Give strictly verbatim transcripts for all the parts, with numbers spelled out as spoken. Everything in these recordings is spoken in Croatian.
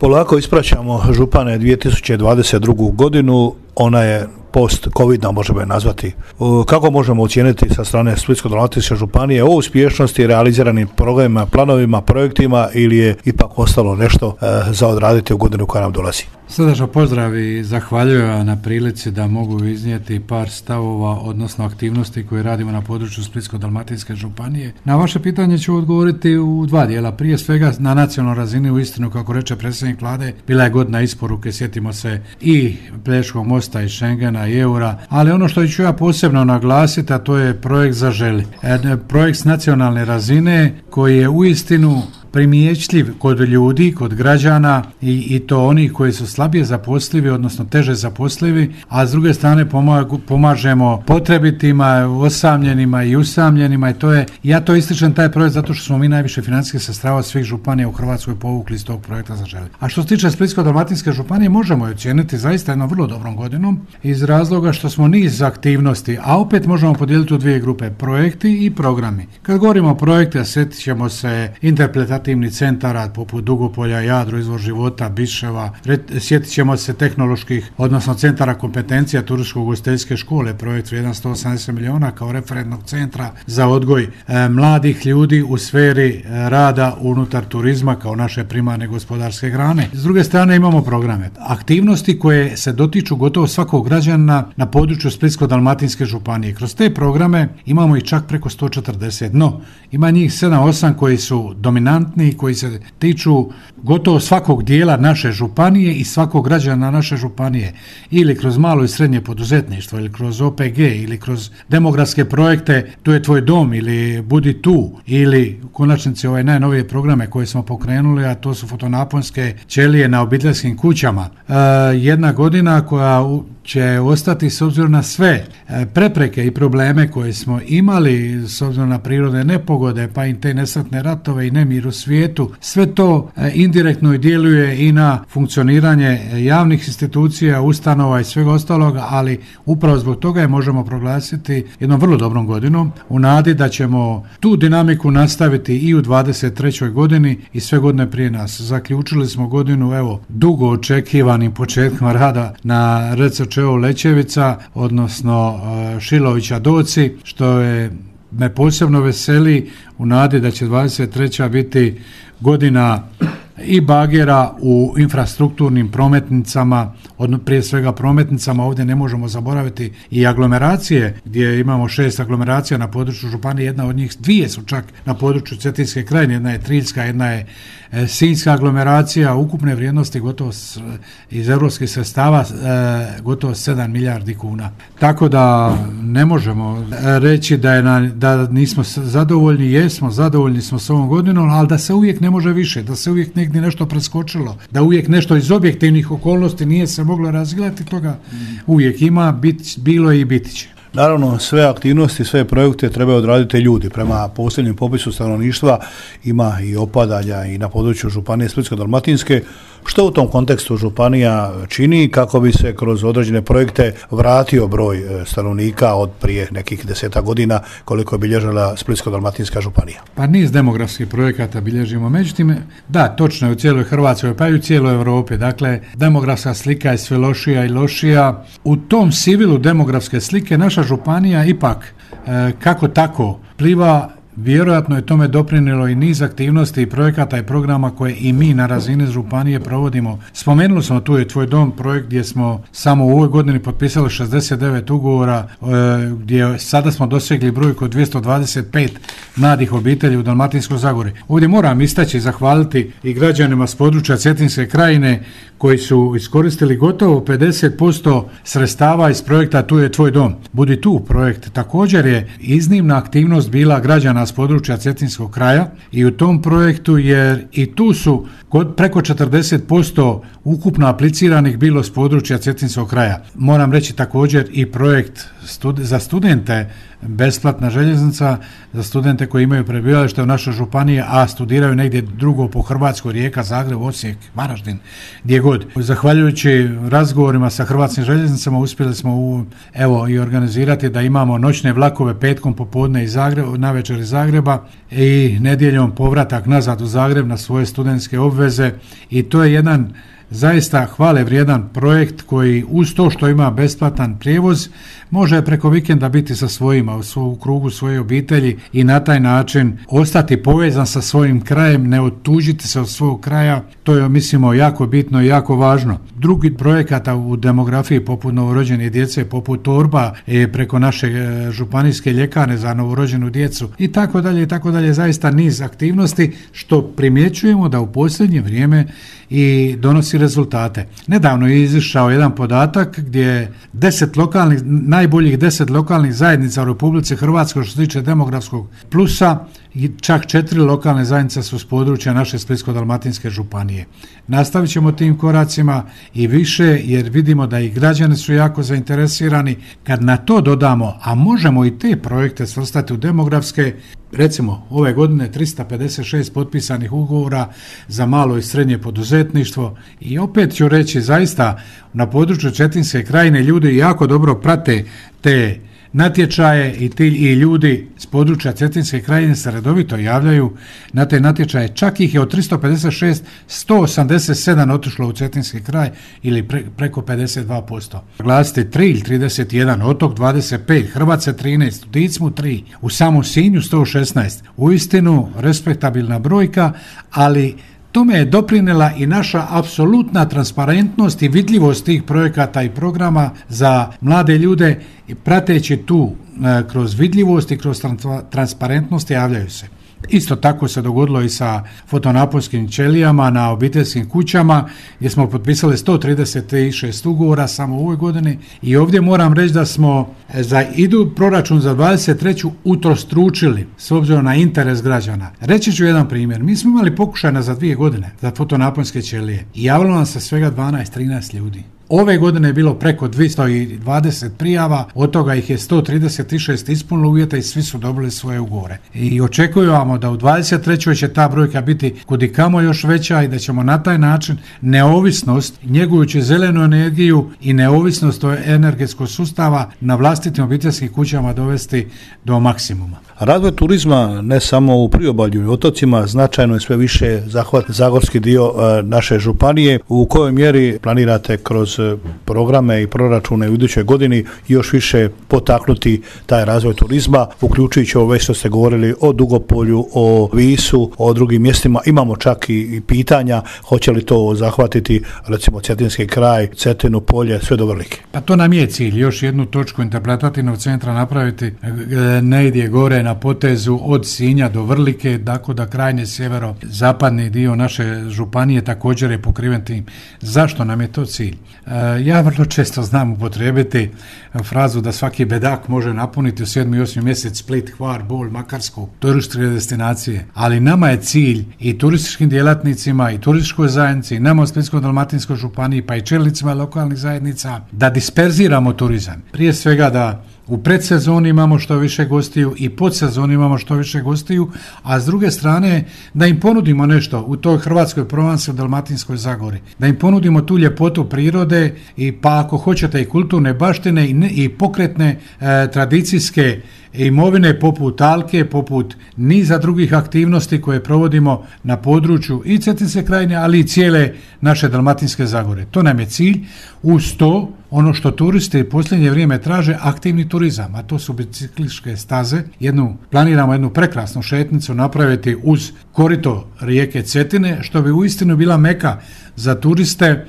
Polako ispraćamo župane dvije tisuće dvadeset drugu godinu, ona je post-covidna, možemo je nazvati. Kako možemo ocijeniti sa strane Splitsko-dalmatinske županije o uspješnosti realiziranim programima, planovima, projektima ili je ipak ostalo nešto za odraditi u godinu koja nam dolazi? Srdačno pozdrav i zahvaljujem na prilici da mogu iznijeti par stavova, odnosno aktivnosti koje radimo na području Splitsko-dalmatinske županije. Na vaše pitanje ću odgovoriti u dva dijela. Prije svega na nacionalnoj razini, u istinu, kako reče predsjednik Vlade, bila je godina isporuke, sjetimo se i Pelješkog mosta i Schengena i eura, ali ono što ću ja posebno naglasiti, a to je projekt Zaželi. E, projekt s nacionalne razine koji je u istinu primjećljiv kod ljudi, kod građana i, i to onih koji su slabije zaposlivi, odnosno teže zaposlivi, a s druge strane pomagu, pomažemo potrebitima, osamljenima i usamljenima i to je, ja to ističem taj projekt zato što smo mi najviše financijskih sredstava od svih županija u Hrvatskoj povukli iz tog projekta Zaželi. A što se tiče Splitsko-dalmatinske županije, možemo je ocijeniti zaista jednom vrlo dobrom godinom iz razloga što smo niz aktivnosti, a opet možemo podijeliti u dvije grupe, projekti i programi. Kad govorimo o projekte, sjetit ćemo se interpretativnih centara poput Dugopolja, Jadro, Izvor života, Biševa, sjetit ćemo se tehnoloških, odnosno centara kompetencija turističko-ugostiteljske škole, projekt vrijedan sto osamdeset milijuna kao referentnog centra za odgoj e, mladih ljudi u sferi e, rada unutar turizma kao naše primarne gospodarske grane. S druge strane imamo programe, aktivnosti koje se dotiču gotovo svakog građana na području Splitsko-dalmatinske županije. Kroz te programe imamo ih čak preko sto četrdeset, no ima njih sedam osam koji su dominantni, koji se tiču gotovo svakog dijela naše županije i svakog građana naše županije, ili kroz malo i srednje poduzetništvo, ili kroz O P G, ili kroz demografske projekte Tu je tvoj dom, ili Budi tu, ili u konačnici ove najnovije programe koje smo pokrenuli, a to su fotonaponske ćelije na obiteljskim kućama. E, jedna godina koja će ostati s obzirom na sve prepreke i probleme koje smo imali s obzirom na prirodne nepogode, pa i te nesretne ratove i nemir u svijetu. Sve to indirektno djeluje i na funkcioniranje javnih institucija, ustanova i svega ostaloga, ali upravo zbog toga je možemo proglasiti jednom vrlo dobrom godinom u nadi da ćemo tu dinamiku nastaviti i u dvadeset trećoj godini i sve godine prije nas. Zaključili smo godinu, evo, dugo očekivanim početkom rada na Receočevo Lečevica, odnosno Šilovića Doci, što je me posebno veseli u nadi da će dvadeset treća biti godina i bagera u infrastrukturnim prometnicama, od, prije svega prometnicama, ovdje ne možemo zaboraviti i aglomeracije, gdje imamo šest aglomeracija na području županije, jedna od njih, dvije su čak na području Cetinske krajine, jedna je Triljska, jedna je e, Sinjska aglomeracija, ukupne vrijednosti gotovo s, iz europskih sredstava e, gotovo sedam milijardi kuna. Tako da ne možemo reći da, je na, da nismo zadovoljni, jesmo, zadovoljni smo s ovom godinom, ali da se uvijek ne može više, da se uvijek negdje nešto preskočilo, da uvijek nešto iz objektivnih okolnosti nije se moglo razgledati, toga uvijek ima, bit, bilo je i biti će. Naravno, sve aktivnosti, sve projekte trebaju odraditi ljudi. Prema posljednjem popisu stanovništva ima i opadanja i na području županije Splitsko-dalmatinske. Što u tom kontekstu županija čini kako bi se kroz određene projekte vratio broj stanovnika od prije nekih deseta godina koliko je bilježila Splitsko-dalmatinska županija? Pa niz demografskih projekata bilježimo. Međutim, da, točno je u cijeloj Hrvatskoj, pa i u cijeloj Europi. Dakle, demografska slika je sve lošija i lošija. U tom sivilu demografske slike naša županija ipak e, kako tako pliva. Vjerojatno je tome doprinijelo i niz aktivnosti i projekata i programa koje i mi na razini županije provodimo. Spomenuli smo Tu je tvoj dom, projekt gdje smo samo u ovoj godini potpisali šezdeset devet ugovora, e, gdje sada smo dosegli brojku od dvjesto dvadeset pet mladih obitelji u Dalmatinskoj Zagori. Ovdje moram istaći i zahvaliti i građanima s područja Cetinske krajine koji su iskoristili gotovo pedeset posto sredstava iz projekta Tu je tvoj dom. Budi tu projekt također je iznimna aktivnost bila građana s područja Cetinskog kraja i u tom projektu, jer i tu su preko četrdeset posto ukupno apliciranih bilo s područja Cetinskog kraja. Moram reći također i projekt stud- za studente, besplatna željeznica za studente koji imaju prebivalište u našoj županiji, a studiraju negdje drugo po Hrvatskoj, Rijeka, Zagreb, Osijek, Varaždin, gdje god. Zahvaljujući razgovorima sa Hrvatskim željeznicama uspjeli smo u, evo i organizirati da imamo noćne vlakove petkom popodne iz Zagreba, navečer iz Zagreba i nedjeljom povratak nazad u Zagreb na svoje studentske obveze i to je jedan zaista hvale vrijedan projekt koji uz to što ima besplatan prijevoz može preko vikenda biti sa svojima u, u krugu svoje obitelji i na taj način ostati povezan sa svojim krajem, ne otužiti se od svog kraja. To je mislimo jako bitno i jako važno. Drugi projekata u demografiji poput novorođene djece, poput torba e, preko naše e, županijske ljekarne za novorođenu djecu i tako dalje i tako dalje, zaista niz aktivnosti što primjećujemo da u posljednje vrijeme i donosi rezultate. Nedavno je izišao jedan podatak gdje deset lokalnih, najboljih deset lokalnih zajednica u Republici Hrvatskoj što se tiče demografskog plusa, i čak četiri lokalne zajednice su s područja naše Splitsko-dalmatinske županije. Nastavit ćemo tim koracima i više jer vidimo da i građani su jako zainteresirani. Kad na to dodamo, a možemo i te projekte svrstati u demografske, recimo ove godine trista pedeset šest potpisanih ugovora za malo i srednje poduzetništvo i opet ću reći zaista na području Cetinske krajine ljudi jako dobro prate te natječaje i ti i ljudi s područja Cetinske krajine se redovito javljaju na te natječaje. Čak ih je od tristo pedeset šest sto osamdeset sedam otišlo u Cetinski kraj ili pre, preko pedeset dva posto. Glasite Trilj trideset jedan, Otok dvadeset pet, Hrvace trinaest, u Dicmu tri, u samom Sinju sto šesnaest. Uistinu respektabilna brojka, ali tome je doprinela i naša apsolutna transparentnost i vidljivost tih projekata i programa za mlade ljude i prateći tu e, kroz vidljivost i kroz transparentnost javljaju se. Isto tako se dogodilo i sa fotonaponskim ćelijama na obiteljskim kućama gdje smo potpisali sto trideset šest ugovora samo u ovoj godini i ovdje moram reći da smo za idu proračun za dvadeset treću utrostručili s obzirom na interes građana. Reći ću jedan primjer. Mi smo imali pokušaj za dvije godine za fotonaponske ćelije i javilo nam se svega dvanaest trinaest ljudi. Ove godine je bilo preko dvjesto dvadeset prijava, od toga ih je sto trideset šest ispunilo uvjeta i svi su dobili svoje ugovore. I očekujemo da u dvadeset trećoj će ta brojka biti kudikamo još veća i da ćemo na taj način neovisnost, njegujući zelenu energiju i neovisnost energetskog sustava na vlastitim obiteljskim kućama dovesti do maksimuma. Razvoj turizma ne samo u priobalju i otocima, značajno je sve više zahvat zagorski dio e, naše županije. U kojoj mjeri planirate kroz programe i proračune u idućoj godini još više potaknuti taj razvoj turizma, uključujući ovo već što ste govorili o Dugopolju, o Visu, o drugim mjestima. Imamo čak i, i pitanja hoće li to zahvatiti recimo Cetinski kraj, Cetinu, Polje, sve do Vrlike. Pa to nam je cilj, još jednu točku interpretativnog centra napraviti negdje gore na potezu od Sinja do Vrlike, tako da krajnje sjevero-zapadni dio naše županije također je pokriven tim. Zašto nam je to cilj? Ja vrlo često znam upotrijebiti frazu da svaki bedak može napuniti u sedmi i osmi mjesec Split, Hvar, Bol, Makarsku, turističke destinacije. Ali nama je cilj i turističkim djelatnicima i turističkoj zajednici, i nama u Splitsko-dalmatinskoj županiji, pa i čelnicima lokalnih zajednica, da disperziramo turizam. Prije svega da u predsezoni imamo što više gostiju i podsezoni imamo što više gostiju, a s druge strane da im ponudimo nešto u toj Hrvatskoj Provansi, u Dalmatinskoj Zagori. Da im ponudimo tu ljepotu prirode i pa ako hoćete i kulturne baštine i, ne, i pokretne e, tradicijske imovine poput Alke, poput niza drugih aktivnosti koje provodimo na području i Cetinske krajine, ali i cijele naše Dalmatinske Zagore. To nam je cilj. Uz to, ono što turisti posljednje vrijeme traže, aktivni turizam, a to su biciklističke staze. Jednu, planiramo jednu prekrasnu šetnicu napraviti uz korito rijeke Cetine, što bi uistinu bila meka za turiste.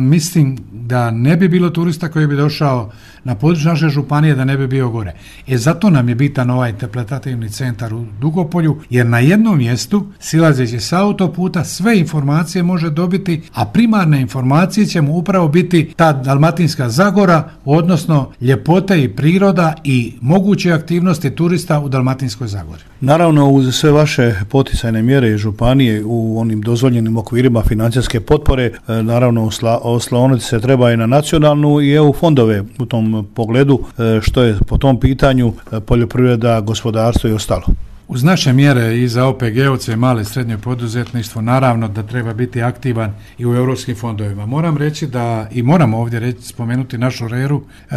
Mislim da ne bi bilo turista koji bi došao na području naše županije da ne bi bio gore. E zato nam je bitan ovaj interpretativni centar u Dugopolju, jer na jednom mjestu, silazeći sa autoputa, sve informacije može dobiti, a primarne informacije će mu upravo biti ta Dalmatinska Zagora, odnosno ljepote i priroda i moguće aktivnosti turista u Dalmatinskoj Zagori. Naravno, uz sve vaše poticajne mjere i županije u onim dozvoljenim okvirima financijske potpore, naravno osloniti se treba i na nacionalnu i E U fondove u tom pogledu, što je po tom pitanju poljoprivreda, gospodarstvo i ostalo. Uz naše mjere i za O P G-ovce i male i srednje poduzetništvo, naravno da treba biti aktivan i u europskim fondovima. Moram reći da, i moramo ovdje reći, spomenuti našu R E R-u, e,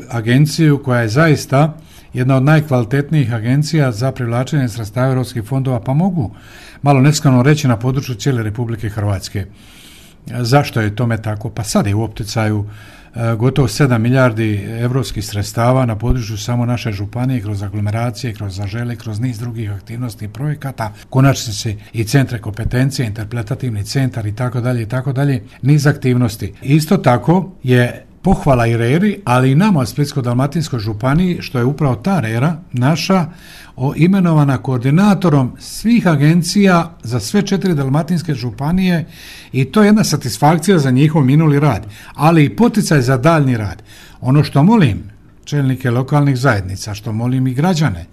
agenciju koja je zaista jedna od najkvalitetnijih agencija za privlačenje sredstava europskih fondova, pa mogu malo neskromno reći na području cijele Republike Hrvatske. Zašto je tome tako? Pa sad je u opticaju gotovo sedam milijardi europskih sredstava na području samo naše županije, kroz aglomeracije, kroz zažele, kroz niz drugih aktivnosti i projekata, konačnici i centre kompetencije, interpretativni centar i tako dalje i tako dalje, niz aktivnosti. Isto tako je pohvala i reri, ali i nama u Splitsko-dalmatinskoj županiji, što je upravo ta rera naša o imenovana koordinatorom svih agencija za sve četiri dalmatinske županije, i to je jedna satisfakcija za njihov minuli rad, ali i poticaj za daljnji rad. Ono što molim čelnike lokalnih zajednica, što molim i građane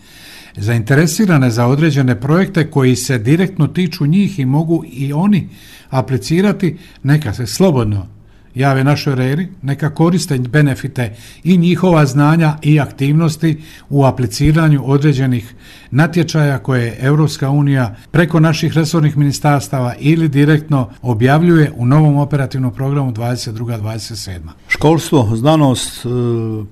zainteresirane za određene projekte koji se direktno tiču njih i mogu i oni aplicirati, neka se slobodno jave našoj reri, neka koriste benefite i njihova znanja i aktivnosti u apliciranju određenih natječaja koje Europska unija preko naših resornih ministarstava ili direktno objavljuje u novom operativnom programu dvadeset druga dvadeset sedma. Školstvo, znanost,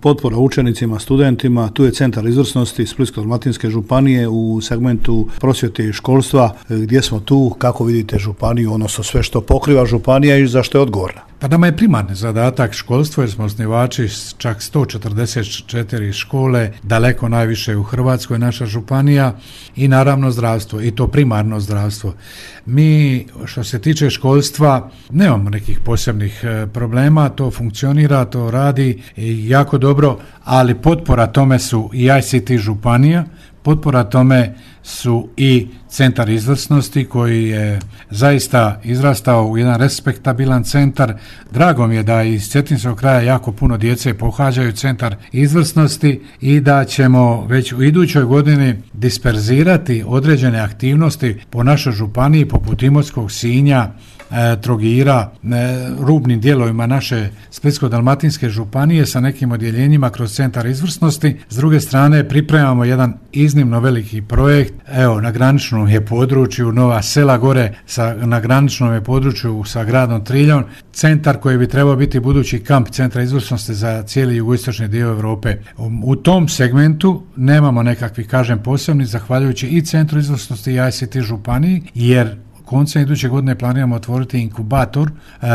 potpora učenicima, studentima, tu je centar izvrsnosti Splitsko-dalmatinske županije u segmentu prosvjete i školstva. Gdje smo tu, kako vidite županiju, odnosno sve što pokriva županija i za što je odgovorna? Pa nama je primarni zadatak školstvo, jer smo osnivači čak sto četrdeset četiri škole, daleko najviše u Hrvatskoj, naša županija, i naravno zdravstvo, i to primarno zdravstvo. Mi, što se tiče školstva, nemamo nekih posebnih problema, to funkcionira, to radi jako dobro, ali potpora tome su i I C T županija, potpora tome su i centar izvrsnosti koji je zaista izrastao u jedan respektabilan centar. Drago mi je da iz cetinskog kraja jako puno djece pohađaju centar izvrsnosti i da ćemo već u idućoj godini disperzirati određene aktivnosti po našoj županiji poput Imotskog, Sinja, Trogira, rubnim dijelovima naše Splitsko-dalmatinske županije sa nekim odjeljenjima kroz centar izvrsnosti. S druge strane pripremamo jedan iznimno veliki projekt, evo na graničnom je području Nova Sela gore, sa, na graničnom je području sa gradom Triljom, centar koji bi trebao biti budući kamp centra izvrsnosti za cijeli jugoistočni dio Europe. U tom segmentu nemamo nekakvih, kažem, posebnih, zahvaljujući i centru izvrsnosti i I C T županiji, jer koncem iduće godine planiramo otvoriti inkubator e,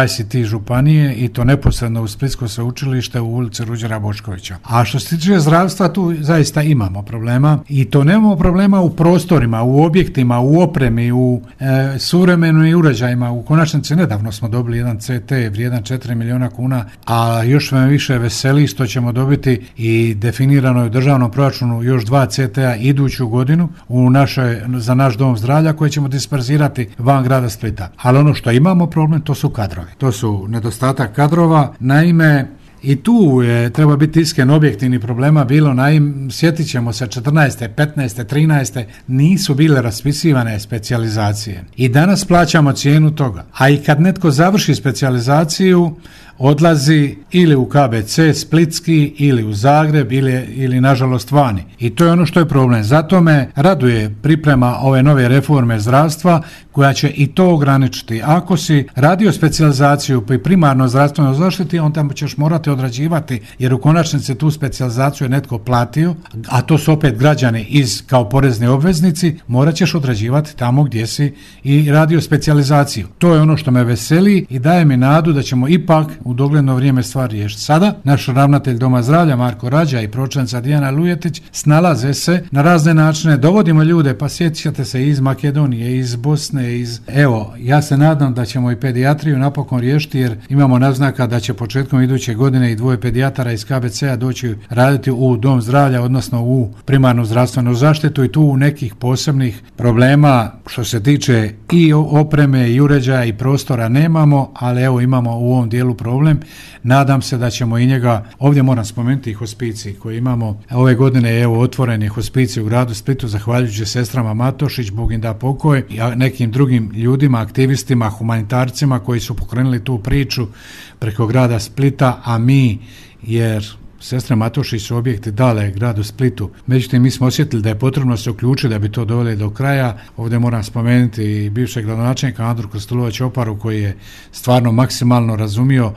I C T županije i to neposredno u Splitsko sveučilište u ulici Ruđera Boškovića. A što se tiče zdravstva, tu zaista imamo problema i to nemamo problema u prostorima, u objektima, u opremi, u e, suvremenim uređajima. U konačnici nedavno smo dobili jedan C T vrijedan četiri milijuna kuna, a još me više veseli što ćemo dobiti i definirano je u državnom proračunu još dva C T-a iduću godinu u našoj, za naš dom zdravlja koje ćemo disperzirati van grada Splita. Ali ono što imamo problem, to su kadrovi. To su nedostatak kadrova. Naime, i tu je, treba biti iskren, objektivni problema bilo, naim, sjetit ćemo se četrnaeste, petnaeste, trinaeste nisu bile raspisivane specijalizacije. I danas plaćamo cijenu toga. A i kad netko završi specijalizaciju, odlazi ili u K B C Splitski ili u Zagreb ili, ili nažalost vani. I to je ono što je problem. Zato me raduje priprema ove nove reforme zdravstva koja će i to ograničiti. Ako si radio specijalizaciju pri primarno zdravstvenoj zaštiti, onda ćeš morati odrađivati, jer u konačnici tu specijalizaciju je netko platio, a to su opet građani iz kao porezni obveznici, morat ćeš odrađivati tamo gdje si i radio specijalizaciju. To je ono što me veseli i daje mi nadu da ćemo ipak u dogledno vrijeme stvar riješiti. Sada naš ravnatelj Doma zdravlja Marko Rađa i pročelnica Dijana Lujetić snalaze se na razne načine, dovodimo ljude, pa sjećate se iz Makedonije, iz Bosne, iz... Evo, ja se nadam da ćemo i pedijatriju napokon riješiti, jer imamo naznaka da će početkom iduće godine i dvoje pedijatara iz K B C-a doći raditi u Dom zdravlja, odnosno u primarnu zdravstvenu zaštitu, i tu u nekih posebnih problema što se tiče i opreme i uređaja i prostora nemamo, ali evo imamo u ovom dijelu problem. Nadam se da ćemo i njega, ovdje moram spomenuti i hospicij koji imamo. Ove godine je evo otvoren je hospicij u gradu Splitu zahvaljujući sestrama Matošić, Bog im da pokoj, i nekim drugim ljudima, aktivistima, humanitarcima koji su pokrenuli tu priču preko grada Splita, a mi, jer Sestre Matošić su objekti dale gradu Splitu. Međutim, mi smo osjetili da je potrebno se uključiti da bi to doveli do kraja. Ovdje moram spomenuti i bivšeg gradonačelnika Andru Kostulović-Oparu koji je stvarno maksimalno razumio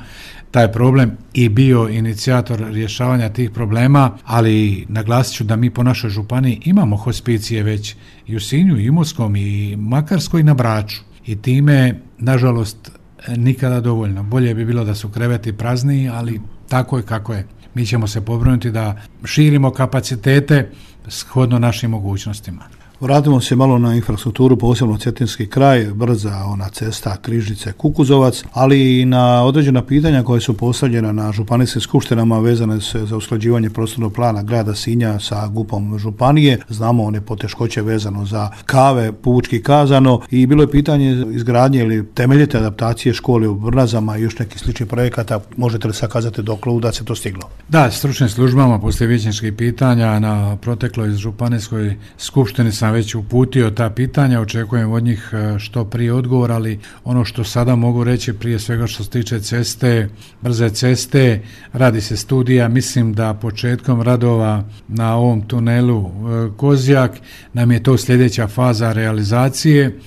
taj problem i bio inicijator rješavanja tih problema, ali naglasit ću da mi po našoj županiji imamo hospicije već i u Sinju, i Imotskom, i Makarskoj, i na Braču. I time, nažalost, nikada dovoljno. Bolje bi bilo da su kreveti prazniji, ali tako je kako je. Mi ćemo se pobrinuti da širimo kapacitete shodno našim mogućnostima. Vratimo se malo na infrastrukturu, posebno cetinski kraj, brza ona cesta Križice-Kukuzovac, ali i na određena pitanja koja su postavljena na županijskim skupštinama vezane se za usklađivanje prostornog plana grada Sinja sa G U P-om županije. Znamo one poteškoće vezano za kave, pučki kazano, i bilo je pitanje izgradnje ili temeljite adaptacije škole u Brnazama i još nekih sličnih projekata. Možete li sakazati dokle da se to stiglo? Da, stručnim službama poslije vijećničkih pitanja na protekloj županijskoj skupštini sam već uputio ta pitanja, očekujem od njih što prije odgovor, ali ono što sada mogu reći prije svega što se tiče ceste, brze ceste, radi se studija, mislim da početkom radova na ovom tunelu Kozjak nam je to sljedeća faza realizacije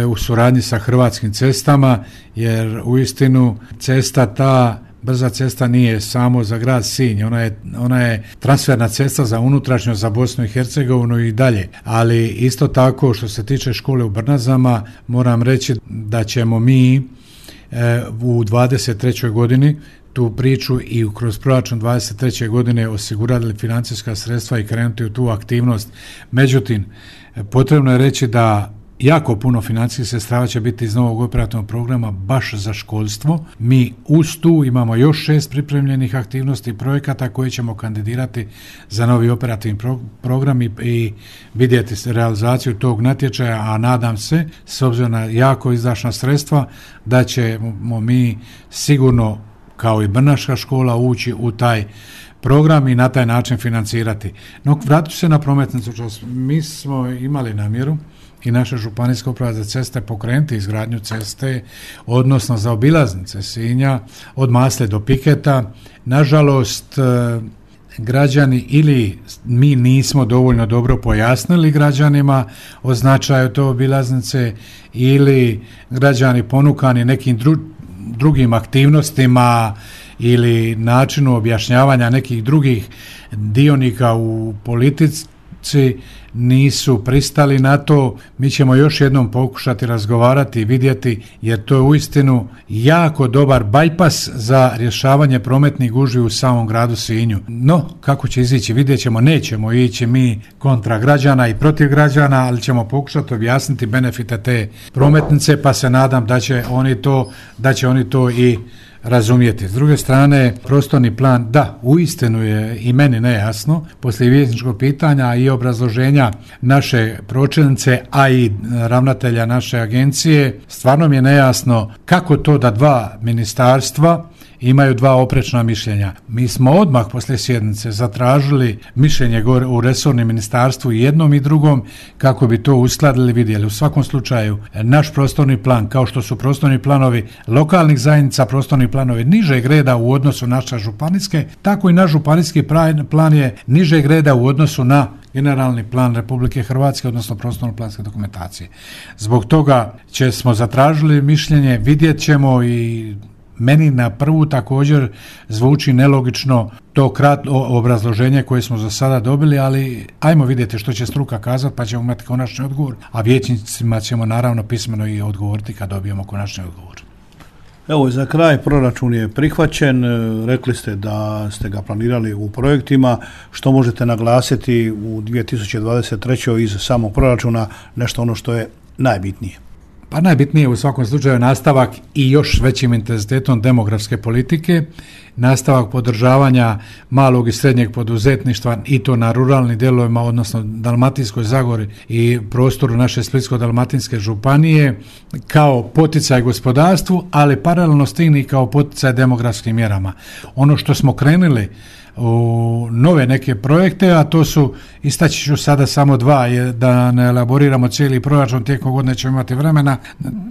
u suradnji sa Hrvatskim cestama, jer uistinu cesta ta brza cesta nije samo za grad Sinj, ona je, ona je transferna cesta za unutrašnjo, za Bosnu i Hercegovinu i dalje. Ali isto tako što se tiče škole u Brnazama, moram reći da ćemo mi e, u dvadeset trećoj godini tu priču i kroz proračun dvadeset treće godine osigurali financijska sredstva i krenuti u tu aktivnost. Međutim, potrebno je reći da jako puno financijskih sredstava će biti iz novog operativnog programa baš za školstvo. Mi uz tu imamo još šest pripremljenih aktivnosti i projekata koje ćemo kandidirati za novi operativni pro- program i, i vidjeti realizaciju tog natječaja, a nadam se, s obzirom na jako izdašna sredstva, da ćemo mi sigurno, kao i Brnaška škola, ući u taj program i na taj način financirati. No, vratit ću se na prometnicu. Mi smo imali namjeru i naša županijska uprava za ceste pokrenuti izgradnju ceste, odnosno za obilaznice Sinja od Masle do Piketa. Nažalost, građani ili mi nismo dovoljno dobro pojasnili građanima o značaju te obilaznice, ili građani ponukani nekim dru, drugim aktivnostima ili načinu objašnjavanja nekih drugih dionika u politici nisu pristali na to. Mi ćemo još jednom pokušati razgovarati i vidjeti, jer to je uistinu jako dobar bajpas za rješavanje prometnih gužvi u samom gradu Sinju. No, kako će izići, vidjet ćemo. Nećemo ići mi kontra građana i protiv građana, ali ćemo pokušati objasniti benefite te prometnice, pa se nadam da će oni to, da će oni to i razumijeti. S druge strane, prostorni plan, da, uistinu je i meni nejasno, poslije vijećničkog pitanja i obrazloženja naše pročelnice, a i ravnatelja naše agencije, stvarno mi je nejasno kako to da dva ministarstva imaju dva oprečna mišljenja. Mi smo odmah poslije sjednice zatražili mišljenje gore u resornom ministarstvu i jednom i drugom kako bi to uskladili, vidjeli. U svakom slučaju, naš prostorni plan, kao što su prostorni planovi lokalnih zajednica, prostorni planovi nižeg reda u odnosu na naše županijske, tako i naš županijski plan je nižeg reda u odnosu na generalni plan Republike Hrvatske, odnosno prostorno planske dokumentacije. Zbog toga će smo zatražili mišljenje, vidjet ćemo, i meni na prvu također zvuči nelogično to kratko obrazloženje koje smo za sada dobili, ali ajmo vidjeti što će struka kazati, pa ćemo imati konačni odgovor, a vijećnicima ćemo naravno pismeno i odgovoriti kad dobijemo konačni odgovor. Evo, za kraj, proračun je prihvaćen, rekli ste da ste ga planirali u projektima. Što možete naglasiti u dvije tisuće dvadeset trećoj iz samog proračuna, nešto ono što je najbitnije? Pa najbitnije u svakom slučaju nastavak i još većim intenzitetom demografske politike, nastavak podržavanja malog i srednjeg poduzetništva i to na ruralnim dijelovima, odnosno Dalmatinskoj Zagori i prostoru naše Splitsko-dalmatinske županije kao poticaj gospodarstvu, ali paralelno s tim i kao poticaj demografskim mjerama. Ono što smo krenuli u nove neke projekte, a to su, istaći ću sada samo dva, je, da ne elaboriramo cijeli proračun, tijekom godine ćemo imati vremena,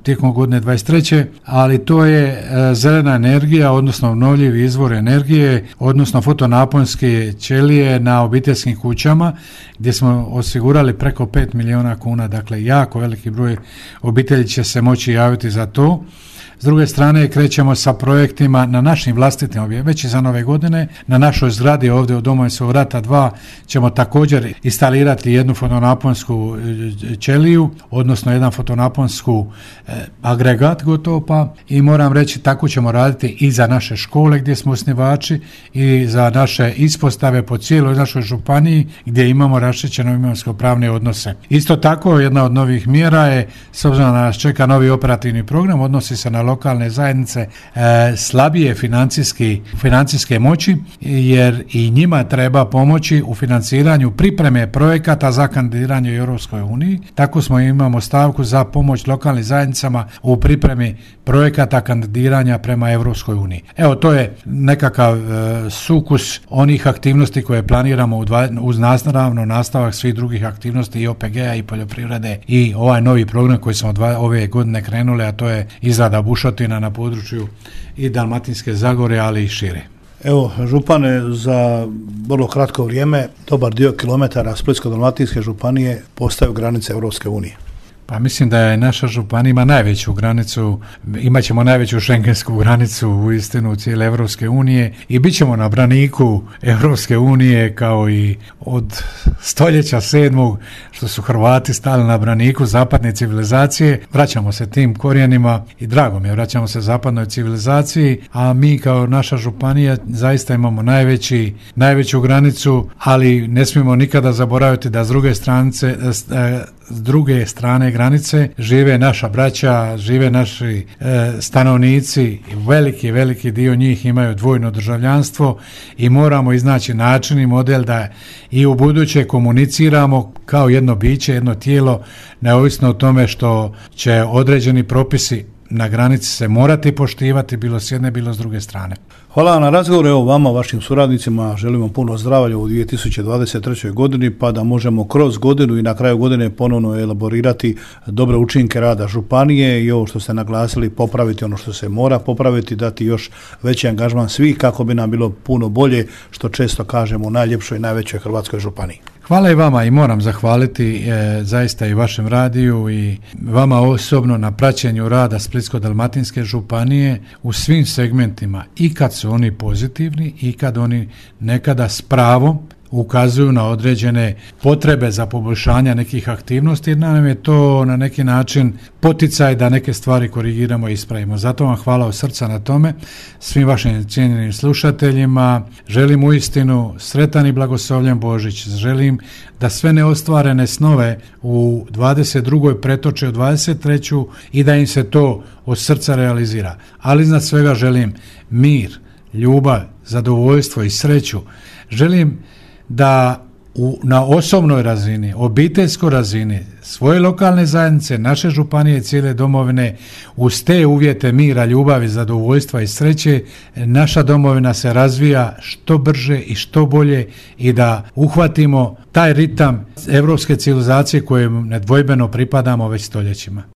tijekom godine dvadeset treće, ali to je e, zelena energija, odnosno obnovljivi izvor energije, odnosno fotonaponske ćelije na obiteljskim kućama, gdje smo osigurali preko pet milijuna kuna, dakle jako veliki broj obitelji će se moći javiti za to. S druge strane krećemo sa projektima na našim vlastitim objektima, već i za nove godine. Na našoj zgradi ovdje u Domovinskog rata dva ćemo također instalirati jednu fotonaponsku ćeliju, odnosno jedan fotonaponsku eh, agregat gotovo pa, i moram reći tako ćemo raditi i za naše škole gdje smo osnivači i za naše ispostave po cijeloj našoj županiji gdje imamo raščišćeno imovinsko-pravne odnose. Isto tako jedna od novih mjera je, s obzirom da nas čeka novi operativni program, odnosi se na lokalne zajednice e, slabije financijski, financijske moći, jer i njima treba pomoći u financiranju pripreme projekata za kandidiranje u Europskoj uniji. Tako smo imamo stavku za pomoć lokalnim zajednicama u pripremi projekata kandidiranja prema Europskoj uniji. Evo, to je nekakav e, sukus onih aktivnosti koje planiramo u dva, uz nastavno nastavak svih drugih aktivnosti i O P G-a i poljoprivrede i ovaj novi program koji smo dva, ove godine krenuli, a to je izrada bušotina na području i Dalmatinske Zagore, ali i šire. Evo, župane, za vrlo kratko vrijeme dobar dio kilometara Splitsko-dalmatinske županije postaju granice Europske unije. Pa mislim da je naša županija ima najveću granicu, imat ćemo najveću šengensku granicu u istinu cijele Evropske unije i bit ćemo na braniku Evropske unije kao i od stoljeća sedmog što su Hrvati stali na braniku zapadne civilizacije. Vraćamo se tim korijenima i drago mi je, vraćamo se zapadnoj civilizaciji, a mi kao naša županija zaista imamo najveći, najveću granicu, ali ne smijemo nikada zaboraviti da s druge stranice s druge strane granice žive naša braća, žive naši e, stanovnici, veliki, veliki dio njih imaju dvojno državljanstvo i moramo iznaći način i model da i u buduće komuniciramo kao jedno biće, jedno tijelo, neovisno o tome što će određeni propisi na granici se morati poštivati, bilo s jedne, bilo s druge strane. Hvala vam na razgovor, evo vama, vašim suradnicima, želimo puno zdravlja u dvije tisuće dvadeset trećoj godini, pa da možemo kroz godinu i na kraju godine ponovno elaborirati dobre učinke rada županije i ovo što ste naglasili, popraviti ono što se mora popraviti, dati još veći angažman svih kako bi nam bilo puno bolje, što često kažemo u najljepšoj i najvećoj hrvatskoj županiji. Hvala i vama i moram zahvaliti e, zaista i vašem radiju i vama osobno na praćenju rada Splitsko-dalmatinske županije u svim segmentima, i kad su oni pozitivni i kad oni nekada s pravom ukazuju na određene potrebe za poboljšanje nekih aktivnosti, jer nam je to na neki način poticaj da neke stvari korigiramo i ispravimo. Zato vam hvala od srca na tome, svim vašim cijenjenim slušateljima. Želim uistinu sretan i blagoslovljen Božić. Želim da sve neostvarene snove u dvadeset drugoj pretoče u dvadeset treću i da im se to od srca realizira. Ali iznad svega želim mir, ljubav, zadovoljstvo i sreću. Želim da u, na osobnoj razini, obiteljskoj razini, svoje lokalne zajednice, naše županije i cijele domovine, uz te uvjete mira, ljubavi, zadovoljstva i sreće, naša domovina se razvija što brže i što bolje i da uhvatimo taj ritam evropske civilizacije kojem nedvojbeno pripadamo već stoljećima.